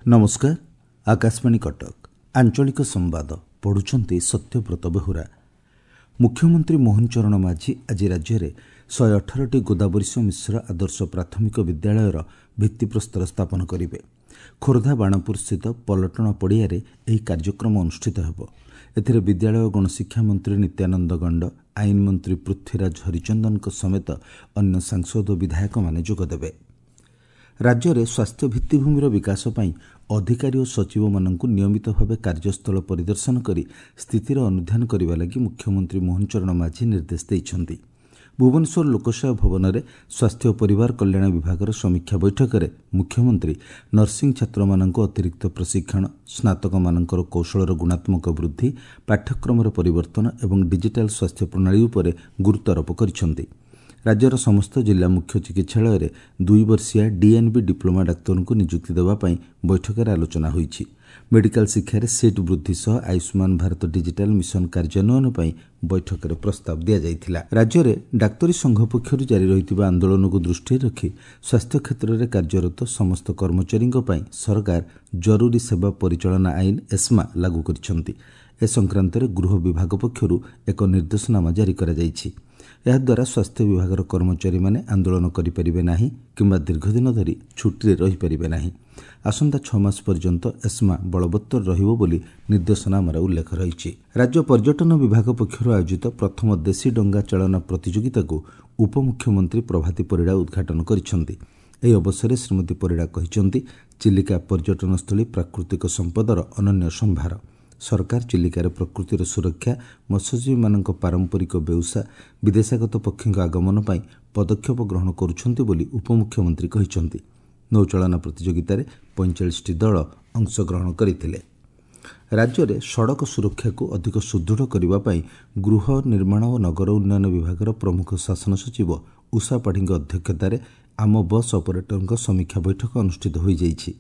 ନମସ୍କାର, ଆକାଶବାଣୀ କଟକ, ଆଞ୍ଚଳିକ ସମ୍ବାଦ ପଢ଼ୁଛନ୍ତି ସତ୍ୟବ୍ରତ ବେହୁରା। ମୁଖ୍ୟମନ୍ତ୍ରୀ ମୋହନ ଚରଣ ମାଝୀ ଆଜି ରାଜ୍ୟରେ 118ଟି ଗୋଦାବରୀଶ ମିଶ୍ର ଆଦର୍ଶ ପ୍ରାଥମିକ ବିଦ୍ୟାଳୟର ଭିତ୍ତିପ୍ରସ୍ତର ସ୍ଥାପନ କରିବେ। ଖୋର୍ଦ୍ଧା ବାଣପୁରସ୍ଥିତ ପଲଟଣ ପଡ଼ିଆରେ ଏହି କାର୍ଯ୍ୟକ୍ରମ ଅନୁଷ୍ଠିତ ହେବ। ଏଥିରେ ବିଦ୍ୟାଳୟ ଓ ଗଣଶିକ୍ଷା ମନ୍ତ୍ରୀ ନିତ୍ୟାନନ୍ଦ ଗଣ୍ଡ, ଆଇନ ମନ୍ତ୍ରୀ ପୃଥ୍ୱୀରାଜ ହରିଚନ୍ଦନଙ୍କ ସମେତ ଅନ୍ୟ ସାଂସଦ ଓ ବିଧାୟକମାନେ ଯୋଗଦେବେ। ରାଜ୍ୟରେ ସ୍ୱାସ୍ଥ୍ୟ ଭିତ୍ତିଭୂମିର ବିକାଶ ପାଇଁ ଅଧିକାରୀ ଓ ସଚିବମାନଙ୍କୁ ନିୟମିତ ଭାବେ କାର୍ଯ୍ୟସ୍ଥଳ ପରିଦର୍ଶନ କରି ସ୍ଥିତିର ଅନୁଧ୍ୟାନ କରିବା ଲାଗି ମୁଖ୍ୟମନ୍ତ୍ରୀ ମୋହନ ଚରଣ ମାଝୀ ନିର୍ଦ୍ଦେଶ ଦେଇଛନ୍ତି। ଭୁବନେଶ୍ୱର ଲୋକସେବା ଭବନରେ ସ୍ୱାସ୍ଥ୍ୟ ଓ ପରିବାର କଲ୍ୟାଣ ବିଭାଗର ସମୀକ୍ଷା ବୈଠକରେ ମୁଖ୍ୟମନ୍ତ୍ରୀ ନର୍ସିଂ ଛାତ୍ରମାନଙ୍କୁ ଅତିରିକ୍ତ ପ୍ରଶିକ୍ଷଣ, ସ୍ନାତକମାନଙ୍କର କୌଶଳର ଗୁଣାତ୍ମକ ବୃଦ୍ଧି, ପାଠ୍ୟକ୍ରମର ପରିବର୍ତ୍ତନ ଏବଂ ଡିଜିଟାଲ ସ୍ୱାସ୍ଥ୍ୟ ପ୍ରଣାଳୀ ଉପରେ ଗୁରୁତ୍ୱାରୋପ କରିଛନ୍ତି। ରାଜ୍ୟର ସମସ୍ତ ଜିଲ୍ଲା ମୁଖ୍ୟ ଚିକିତ୍ସାଳୟରେ 2 ବର୍ଷିଆ ଡିଏନ୍ବି ଡିପ୍ଲୋମା ଡାକ୍ତରଙ୍କୁ ନିଯୁକ୍ତି ଦେବା ପାଇଁ ବୈଠକରେ ଆଲୋଚନା ହୋଇଛି। ମେଡିକାଲ ଶିକ୍ଷାରେ ସିଟ୍ ବୃଦ୍ଧି ସହ ଆୟୁଷ୍ମାନ ଭାରତ ଡିଜିଟାଲ ମିଶନ କାର୍ଯ୍ୟାନ୍ୱୟନ ପାଇଁ ବୈଠକରେ ପ୍ରସ୍ତାବ ଦିଆଯାଇଥିଲା। ରାଜ୍ୟରେ ଡାକ୍ତରୀ ସଂଘ ପକ୍ଷରୁ ଜାରି ରହିଥିବା ଆନ୍ଦୋଳନକୁ ଦୃଷ୍ଟିରେ ରଖି ସ୍ୱାସ୍ଥ୍ୟ କ୍ଷେତ୍ରରେ କାର୍ଯ୍ୟରତ ସମସ୍ତ କର୍ମଚାରୀଙ୍କ ପାଇଁ ସରକାର ଜରୁରୀ ସେବା ପରିଚାଳନା ଆଇନ ଏସ୍ମା ଲାଗୁ କରିଛନ୍ତି। ଏ ସଂକ୍ରାନ୍ତରେ ଗୃହ ବିଭାଗ ପକ୍ଷରୁ ଏକ ନିର୍ଦ୍ଦେଶନାମା ଜାରି କରାଯାଇଛି। ଏହାଦ୍ୱାରା ସ୍ୱାସ୍ଥ୍ୟ ବିଭାଗର କର୍ମଚାରୀମାନେ ଆନ୍ଦୋଳନ କରିପାରିବେ ନାହିଁ କିମ୍ବା ଦୀର୍ଘଦିନ ଧରି ଛୁଟିରେ ରହିପାରିବେ ନାହିଁ। ଆସନ୍ତା 6 ମାସ ପର୍ଯ୍ୟନ୍ତ ଏସ୍ମା ବଳବତ୍ତର ରହିବ ବୋଲି ନିର୍ଦ୍ଦେଶନାମାରେ ଉଲ୍ଲେଖ ରହିଛି। ରାଜ୍ୟ ପର୍ଯ୍ୟଟନ ବିଭାଗ ପକ୍ଷରୁ ଆୟୋଜିତ ପ୍ରଥମ ଦେଶୀ ଡଙ୍ଗା ଚାଳନା ପ୍ରତିଯୋଗିତାକୁ ଉପମୁଖ୍ୟମନ୍ତ୍ରୀ ପ୍ରଭାତୀ ପରିଡ଼ା ଉଦ୍ଘାଟନ କରିଛନ୍ତି। ଏହି ଅବସରରେ ଶ୍ରୀମତୀ ପରିଡ଼ା କହିଛନ୍ତି, ଚିଲିକା ପର୍ଯ୍ୟଟନସ୍ଥଳୀ ପ୍ରାକୃତିକ ସମ୍ପଦର ଅନନ୍ୟ ସମ୍ଭାର। ସରକାର ଚିଲିକାରେ ପ୍ରକୃତିର ସୁରକ୍ଷା, ମତ୍ସ୍ୟଜୀବୀମାନଙ୍କ ପାରମ୍ପରିକ ବେଉସା, ବିଦେଶାଗତ ପକ୍ଷୀଙ୍କ ଆଗମନ ପାଇଁ ପଦକ୍ଷେପ ଗ୍ରହଣ କରୁଛନ୍ତି ବୋଲି ଉପମୁଖ୍ୟମନ୍ତ୍ରୀ କହିଛନ୍ତି। ନୌଚାଳନା ପ୍ରତିଯୋଗିତାରେ 45ଟି ଦଳ ଅଂଶଗ୍ରହଣ କରିଥିଲେ। ରାଜ୍ୟରେ ସଡ଼କ ସୁରକ୍ଷାକୁ ଅଧିକ ସୁଦୃଢ଼ କରିବା ପାଇଁ ଗୃହ ନିର୍ମାଣ ଓ ନଗର ଉନ୍ନୟନ ବିଭାଗର ପ୍ରମୁଖ ଶାସନ ସଚିବ ଉଷା ପାଢ଼ୀଙ୍କ ଅଧ୍ୟକ୍ଷତାରେ ଆମ ବସ୍ ଅପରେଟରଙ୍କ ସମୀକ୍ଷା ବୈଠକ ଅନୁଷ୍ଠିତ ହୋଇଯାଇଛି।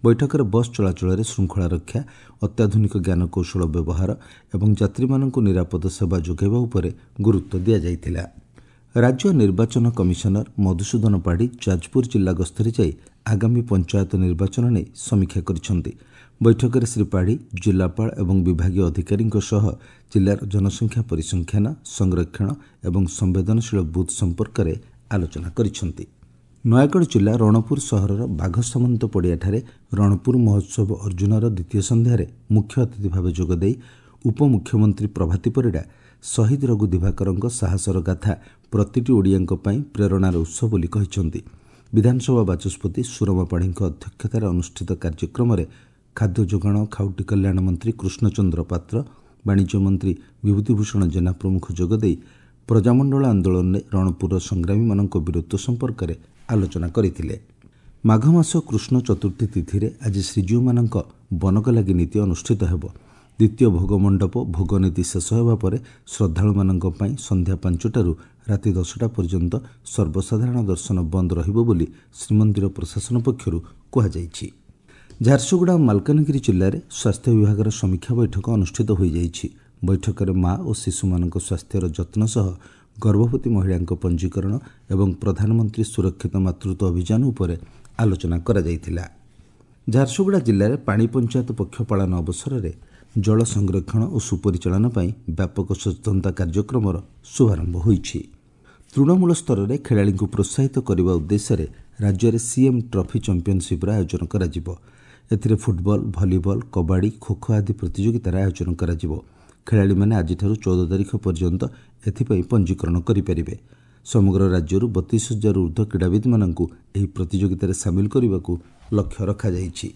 ବୈଠକରେ ବସ୍ ଚଳାଚଳରେ ଶୃଙ୍ଖଳା ରକ୍ଷା, ଅତ୍ୟାଧୁନିକ ଜ୍ଞାନକୌଶଳ ବ୍ୟବହାର ଏବଂ ଯାତ୍ରୀମାନଙ୍କୁ ନିରାପଦ ସେବା ଯୋଗାଇବା ଉପରେ ଗୁରୁତ୍ୱ ଦିଆଯାଇଥିଲା। ରାଜ୍ୟ ନିର୍ବାଚନ କମିଶନର ମଧୁସୂଦନ ପାଢ଼ୀ ଯାଜପୁର ଜିଲ୍ଲା ଗସ୍ତରେ ଯାଇ ଆଗାମୀ ପଞ୍ଚାୟତ ନିର୍ବାଚନ ନେଇ ସମୀକ୍ଷା କରିଛନ୍ତି। ବୈଠକରେ ଶ୍ରୀ ପାଢ଼ୀ ଜିଲ୍ଲାପାଳ ଏବଂ ବିଭାଗୀୟ ଅଧିକାରୀଙ୍କ ସହ ଜିଲ୍ଲାର ଜନସଂଖ୍ୟା ପରିସଂଖ୍ୟାନ, ସଂରକ୍ଷଣ ଏବଂ ସମ୍ବେଦନଶୀଳ ବୁଥ୍ ସମ୍ପର୍କରେ ଆଲୋଚନା କରିଛନ୍ତି। ନୟାଗଡ଼ ଜିଲ୍ଲା ରଣପୁର ସହରର ବାଘସାମନ୍ତ ପଡ଼ିଆଠାରେ ରଣପୁର ମହୋତ୍ସବ ଅର୍ଜୁନର ଦ୍ୱିତୀୟ ସନ୍ଧ୍ୟାରେ ମୁଖ୍ୟ ଅତିଥି ଭାବେ ଯୋଗଦେଇ ଉପମୁଖ୍ୟମନ୍ତ୍ରୀ ପ୍ରଭାତୀ ପରିଡ଼ା ଶହୀଦ ରଘୁ ଦିବାକରଙ୍କ ସାହସର ଗାଥା ପ୍ରତିଟି ଓଡ଼ିଆଙ୍କ ପାଇଁ ପ୍ରେରଣାର ଉତ୍ସ ବୋଲି କହିଛନ୍ତି। ବିଧାନସଭା ବାଚସ୍ପତି ସୁରମା ପାଢ଼ୀଙ୍କ ଅଧ୍ୟକ୍ଷତାରେ ଅନୁଷ୍ଠିତ କାର୍ଯ୍ୟକ୍ରମରେ ଖାଦ୍ୟ ଯୋଗାଣ ଖାଉଟି କଲ୍ୟାଣ ମନ୍ତ୍ରୀ କୃଷ୍ଣଚନ୍ଦ୍ର ପାତ୍ର, ବାଣିଜ୍ୟ ମନ୍ତ୍ରୀ ବିଭୂତିଭୂଷଣ ଜେନା ପ୍ରମୁଖ ଯୋଗଦେଇ ପ୍ରଜାମଣ୍ଡଳ ଆନ୍ଦୋଳନରେ ରଣପୁରର ସଂଗ୍ରାମୀମାନଙ୍କ ବୀରତ୍ୱ ସମ୍ପର୍କରେ ଆଲୋଚନା କରିଥିଲେ। ମାଘ ମାସ କୃଷ୍ଣ ଚତୁର୍ଥୀ ତିଥିରେ ଆଜି ଶ୍ରୀଜୀଉମାନଙ୍କ ବନକଲାଗି ନୀତି ଅନୁଷ୍ଠିତ ହେବ। ଦ୍ୱିତୀୟ ଭୋଗମଣ୍ଡପ ଭୋଗନୀତି ଶେଷ ହେବା ପରେ ଶ୍ରଦ୍ଧାଳୁମାନଙ୍କ ପାଇଁ ସନ୍ଧ୍ୟା 5ଟାରୁ ରାତି 10ଟା ପର୍ଯ୍ୟନ୍ତ ସର୍ବସାଧାରଣ ଦର୍ଶନ ବନ୍ଦ ରହିବ ବୋଲି ଶ୍ରୀମନ୍ଦିର ପ୍ରଶାସନ ପକ୍ଷରୁ କୁହାଯାଇଛି। ଝାରସୁଗୁଡ଼ା ଓ ମାଲକାନଗିରି ଜିଲ୍ଲାରେ ସ୍ୱାସ୍ଥ୍ୟ ବିଭାଗର ସମୀକ୍ଷା ବୈଠକ ଅନୁଷ୍ଠିତ ହୋଇଯାଇଛି। ବୈଠକରେ ମା ଓ ଶିଶୁମାନଙ୍କ ସ୍ୱାସ୍ଥ୍ୟର ଯତ୍ନ ସହ ଗର୍ଭବତୀ ମହିଳାଙ୍କ ପଞ୍ଜୀକରଣ ଏବଂ ପ୍ରଧାନମନ୍ତ୍ରୀ ସୁରକ୍ଷିତ ମାତୃତ୍ୱ ଅଭିଯାନ ଉପରେ ଆଲୋଚନା କରାଯାଇଥିଲା। ଝାରସୁଗୁଡ଼ା ଜିଲ୍ଲାରେ ପାଣି ପଞ୍ଚାୟତ ପକ୍ଷ ପାଳନ ଅବସରରେ ଜଳ ସଂରକ୍ଷଣ ଓ ସୁପରିଚାଳନା ପାଇଁ ବ୍ୟାପକ ସଚେତନତା କାର୍ଯ୍ୟକ୍ରମର ଶୁଭାରମ୍ଭ ହୋଇଛି। ତୃଣମୂଳ ସ୍ତରରେ ଖେଳାଳିଙ୍କୁ ପ୍ରୋତ୍ସାହିତ କରିବା ଉଦ୍ଦେଶ୍ୟରେ ରାଜ୍ୟରେ ସିଏମ୍ ଟ୍ରଫି ଚାମ୍ପିୟନସିପ୍ର ଆୟୋଜନ କରାଯିବ। ଏଥିରେ ଫୁଟବଲ, ଭଲିବଲ, କବାଡ଼ି, ଖୋଖୋ ଆଦି ପ୍ରତିଯୋଗିତାର ଆୟୋଜନ କରାଯିବ। ଖେଳାଳିମାନେ ଆଜିଠାରୁ 14 ତାରିଖ ପର୍ଯ୍ୟନ୍ତ ଏଥିପାଇଁ ପଞ୍ଜୀକରଣ କରିପାରିବେ। ସମଗ୍ର ରାଜ୍ୟରୁ 32,000ରୁ ଉର୍ଦ୍ଧ୍ୱ କ୍ରୀଡ଼ାବିତ୍ମାନଙ୍କୁ ଏହି ପ୍ରତିଯୋଗିତାରେ ସାମିଲ କରିବାକୁ ଲକ୍ଷ୍ୟ ରଖାଯାଇଛି।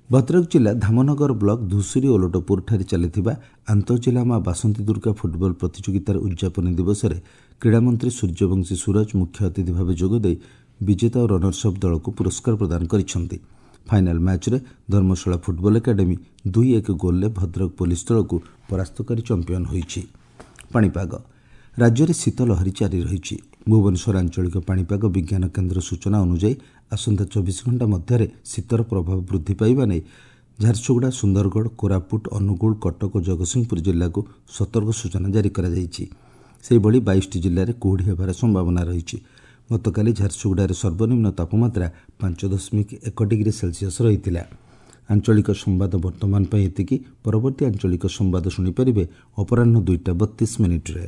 ଭଦ୍ରକ ଜିଲ୍ଲା ଧାମନଗର ବ୍ଲକ ଧୁଷୁରୀ ଓଲଟପୁରଠାରେ ଚାଲିଥିବା ଆନ୍ତଃଜିଲ୍ଲା ମା ବାସନ୍ତୀ ଦୁର୍ଗା ଫୁଟବଲ ପ୍ରତିଯୋଗିତାର ଉଦ୍ଯାପନୀ ଦିବସରେ କ୍ରୀଡ଼ାମନ୍ତ୍ରୀ ସୂର୍ଯ୍ୟବଂଶୀ ସୂରଜ ମୁଖ୍ୟ ଅତିଥି ଭାବେ ଯୋଗଦେଇ ବିଜେତା ଓ ରନର୍ସ ଅପ୍ ଦଳକୁ ପୁରସ୍କାର ପ୍ରଦାନ କରିଛନ୍ତି। ଫାଇନାଲ ମ୍ୟାଚ୍ରେ ଧର୍ମଶାଳା ଫୁଟବଲ ଏକାଡେମୀ 2-1 ଗୋଲ୍ରେ ଭଦ୍ରକ ପୋଲିସ ଦଳକୁ ପରାସ୍ତ କରି ଚାମ୍ପିୟନ ହୋଇଛି। ପାଣିପାଗ ରାଜ୍ୟରେ ଶୀତ ଲହରୀ ଜାରି ରହିଛି। ଭୁବନେଶ୍ୱର ଆଞ୍ଚଳିକ ପାଣିପାଗ ବିଜ୍ଞାନ କେନ୍ଦ୍ର ସୂଚନା ଅନୁଯାୟୀ ଆସନ୍ତା 24 ଘଣ୍ଟା ମଧ୍ୟରେ ଶୀତର ପ୍ରଭାବ ବୃଦ୍ଧି ପାଇବା ନେଇ ଝାରସୁଗୁଡ଼ା, ସୁନ୍ଦରଗଡ଼, କୋରାପୁଟ, ଅନୁଗୁଳ, କଟକ ଓ ଜଗତସିଂହପୁର ଜିଲ୍ଲାକୁ ସତର୍କ ସୂଚନା ଜାରି କରାଯାଇଛି। ସେହିଭଳି 22ଟି ଜିଲ୍ଲାରେ କୁହୁଡ଼ି ହେବାର ସମ୍ଭାବନା ରହିଛି। ଗତକାଲି ଝାରସୁଗୁଡ଼ାରେ ସର୍ବନିମ୍ନ ତାପମାତ୍ରା 5.1 ଡିଗ୍ରୀ ସେଲସିୟସ୍ ରହିଥିଲା। ଆଞ୍ଚଳିକ ସମ୍ବାଦ ବର୍ତ୍ତମାନ ପାଇଁ ଏତିକି। ପରବର୍ତ୍ତୀ ଆଞ୍ଚଳିକ ସମ୍ବାଦ ଶୁଣିପାରିବେ ଅପରାହ୍ନ 2ଟା 32 ମିନିଟ୍ରେ।